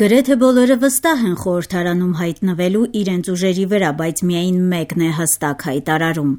Գրեթե բոլորը վստահ են խորհրդարանում հայտնվելու իրենց ուժերի վրա, բայց միայն մեկն է հստակ հայտարարում.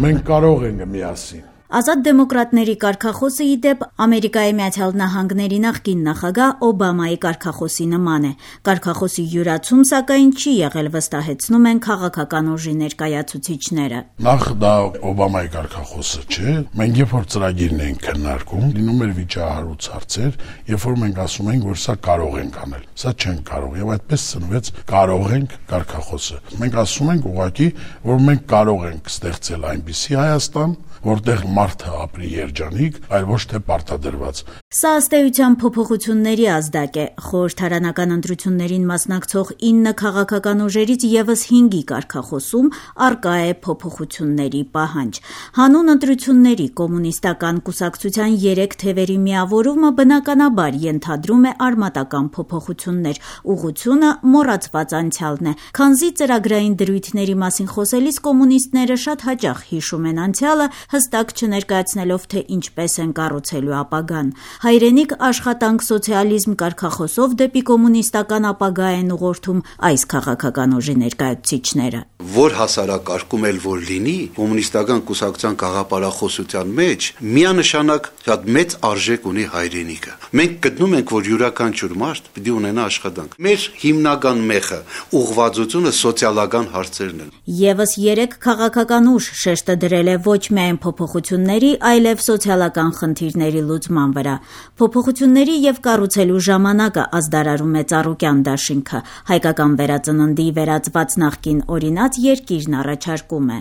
Մենք կարող ենք միասին։ Ազատ դեմոկրատների կարգախոսը ի դեպ Ամերիկայի Միացյալ Նահանգների նախկին նախագահ Օբամայի կարգախոսի նման է։ Կարգախոսի յուրացում, սակայն, չի եղել, վստահեցնում են քաղաքական ուժի ներկայացուցիչները։ Նախ դա Օբամայի կարգախոսը չէ։ Մենք երբ որ ծրագիրն ենք քննարկում, լինում էր վիճահարույց հարցեր, երբ որ մենք ասում ենք, որ սա կարող ենք անել, սա չենք կարող, եւ այդպես ծնվեց կարող ենք կարգախոսը։ Մենք ասում ենք ուղղակի, որ մենք կարող ենք ստեղծել այնպիսի Հայաստան, որտեղ մարդը ապրի երջանիկ, այլ ոչ թե պարտադրված։ Սա ըստ էության փոփոխությունների ազդակ է։ Խորհրդարանական ընտրություններին մասնակցող 9 քաղաքական ուժերից եւս 5-ի կարգախոսում առկա է փոփոխությունների պահանջ։ Հանուն ընտրությունների կոմունիստական կուսակցության 3 թևերի միավորումը բնականաբար ենթադրում է արմատական փոփոխություններ։ Ուղղությունը մոռացված անցյալն է։ Քանզի ծրագրային դրույթների մասին խոսելիս կոմունիստները շատ հաճախ հիշում են անցյալը, հստակ չներկայացնելով, թե ինչպես են կառուցելու ապագան։ Հայրենիք, աշխատանք, սոցիալիզմ կարգախոսով դեպի կոմունիստական ապագա են ուղղորդում այս քաղաքական ուժի ներկայացուցիչները։ Որ հասարակարգում էլ որ լինի, կոմունիստական կուսակցության գաղափարախոսության մեջ միանշանակ շատ մեծ արժեք ունի հայրենիքը։ Մենք գտնում ենք, որ յուրաքանչյուր մարդ պիտի ունենա աշխատանք։ Մեր հիմնական մեխը, ուղղվածությունը սոցիալական հարցերն են։ Եվս 3 քաղաքական ուժ շեշտը դրել է ոչ միայն փոփոխությունների, այլև սոցիալական խնդիրների լուծման վրա։ Փոփոխությունների եւ կառուցելու ժամանակը ազդարարում է Ծառուկյան դաշինքը։ Հայկական վերածննդի վերածված նախկին օրինաց երկիրն առաջարկում է.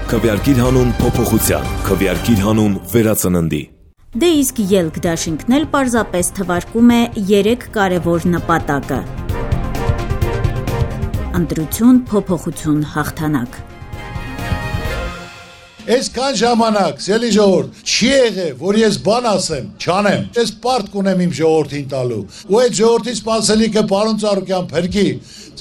Քվեարկիր հանուն փոփոխության, քվեարկիր հանուն վերածննդի։ Դե իսկ ելք դաշինքն էլ պարզապես թվարկում է 3 կարևոր նպատակը. ընտրություն, փոփոխություն, հաղթանակ։ Այսքան ժամանակ, սելի ժողովուրդ, չի եղել, որ ես բան ասեմ, չանեմ։ Ես պարտք ունեմ իմ ժողովրդին տալու։ Ու այդ ժողովրդի սպասելիքը պարոն Ծառուկյան փրկի։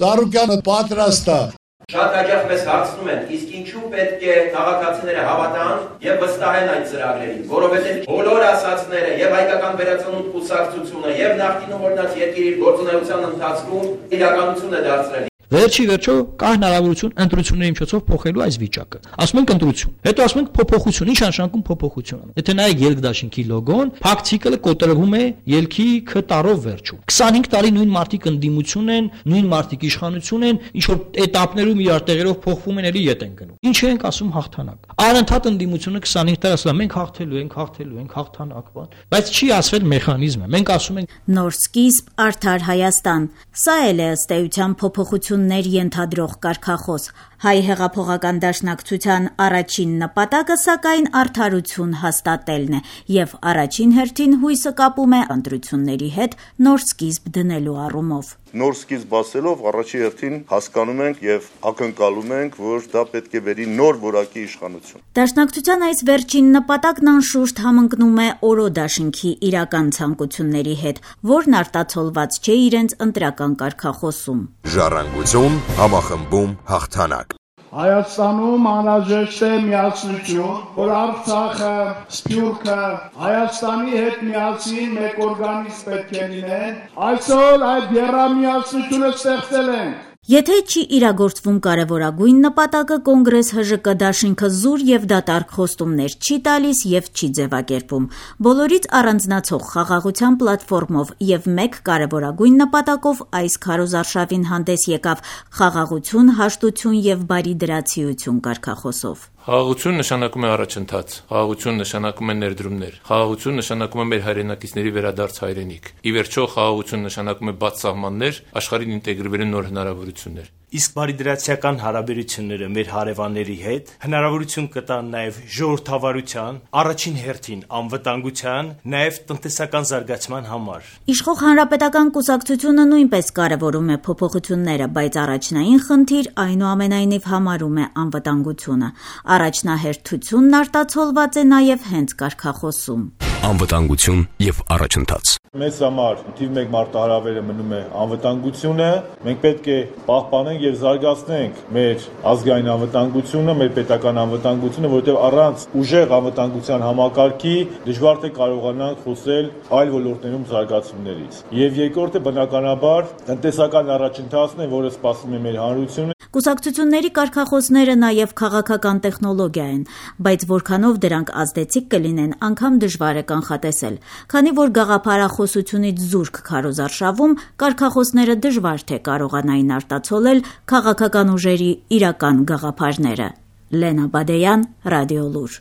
Ծառուկյանը պատրաստ է։ Շատ հաճախ մեզ հարցնում են, իսկ ինչու պետք է քաղաքացիները հավատան եւ վստահեն այդ ծրագրերին, որովհետեւ բոլոր ասածները եւ հայկական վերածնունդ կուսակցությունը եւ նախկինում օրինաց երկրի գործունեության ընթացքում իրականություն է դարձրել։ Վերջի վերջո կա հնարավորություն ընտրությունների միջոցով փոխելու այս վիճակը։ Ասում ենք ընտրություն, հետո ասում ենք փոփոխություն, ինչ նշանակում փոփոխություն։ Եթե նայեք ելք դաշինքի լոգոն, փակ ցիկլը կոտրվում է ելքի K տարով վերջում։ 25 տարի նույն մարտիկ ընդդիմություն են, նույն մարտիկ իշխանություն են, ինչ որ этаպներում իրար տեղերով փոխվում են, էլի ետ են գնում։ Ինչ ենք ասում հաղթանակ։ Անընդհատ ընդդիմությունը 25 տարի ասում մենք հաղթելու ենք, հաղթանակ բան, բայց չի ասվել մեխանիզմը։ Մենք ասում ենք նոր սկիզբ, արդար Հայաստան։ Սա էլ է ըստ էության փոփոխություններ ենթադրող կարգախոս։ Հայ հեղափոխական դաշնակցության առաջին նպատակը, սակայն, արդարություն հաստատելն է եւ առաջին հերթին հույսը կապում է ընտրությունների հետ նոր սկիզբ դնելու առումով։ Նոր սկիզբ ասելով առաջի հերթին հասկանում ենք եւ ակնկալում ենք, որ դա պետք է բերի նոր որակի իշխանություն։ Դաշնակցության այս վերջին նպատակն անշուշտ համընկնում է Օրո դաշինքի իրական ցանկությունների հետ, որն արտացոլված չէ իրենց ընտրական կարգախոսում։ Ժառանգություն, համախմբում, հաղթանակ։ Հայաստանում անհրաժեշտ է միասնություն, որ Արցախը, Սփյուռքը Հայաստանի հետ միասին մեկ օրգանիզմ պետք է լինեն։ Այսօր այդ եռամիասնությունը ստեղծել ենք։ Եթե չի իրագործվում կարևորագույն նպատակը, Կոնգրես ՀԺԿ դաշինքը զուր եւ դատարկ խոստումներ չի տալիս եւ չի ձևակերպում։ Բոլորից առանձնացող խաղաղության պլատֆորմով եւ մեկ կարևորագույն նպատակով այս քարոզարշավին հանդես եկավ խաղաղություն, հաշտություն եւ բարի դրացիություն կարգախոսով։ Խաղաղություն նշանակում է առաջընթաց, խաղաղություն նշանակում է ներդրումներ, խաղաղություն նշանակում է մեր հայրենակիցների վերադարձ հայրենիք։ Ի վերջո խաղաղություն նշանակում է բաց սահմաններ, աշխարհին ինտեգրվելու նոր հնարավորություններ։ Իսկ բարիդրացիական հարաբերությունները մեր հարևանների հետ հնարավորություն կտան նաև ժողովրդավարության, առաջին հերթին անվտանգության, նաև տնտեսական զարգացման համար։ Իշխող հանրապետական կուսակցությունը նույնպես կարևորում է փոփոխությունները, բայց առաջնային խնդիր այնուամենայնիվ համարում է անվտանգությունը։ Առաջնահերթությունն արտացոլված է նաև հենց կարգախոսում։ անվտանգություն եւ առաջընթաց։ Մեզ համար թիվ 1 մարտահրավերը մնում է անվտանգությունը։ Մենք պետք է պահպանենք եւ զարգացնենք մեր ազգային անվտանգությունը, մեր պետական անվտանգությունը, որովհետեւ առանց ուժեղ անվտանգության համակարգի դժվար թե կարողանանք խոսել այլ ոլորտներում զարգացումներից։ Եվ երկրորդը բնականաբար տնտեսական առաջընթացն է, որը սպասում է մեր հանրությունը։ Կուսակցությունների կարգախոսները նաև քաղաքական տեխնոլոգիա են, բայց որքանով դրանք ազդեցիկ կլինեն, անգամ դժվար է կանխատեսել, քանի որ գաղափարախոսությունից զուրկ քարոզարշավում կարգախոսները դժվար թե կարողանային արտացոլել քաղաքական ուժերի իրական գաղափարները։ Լենա Բադեյան, Ռադիոլուր։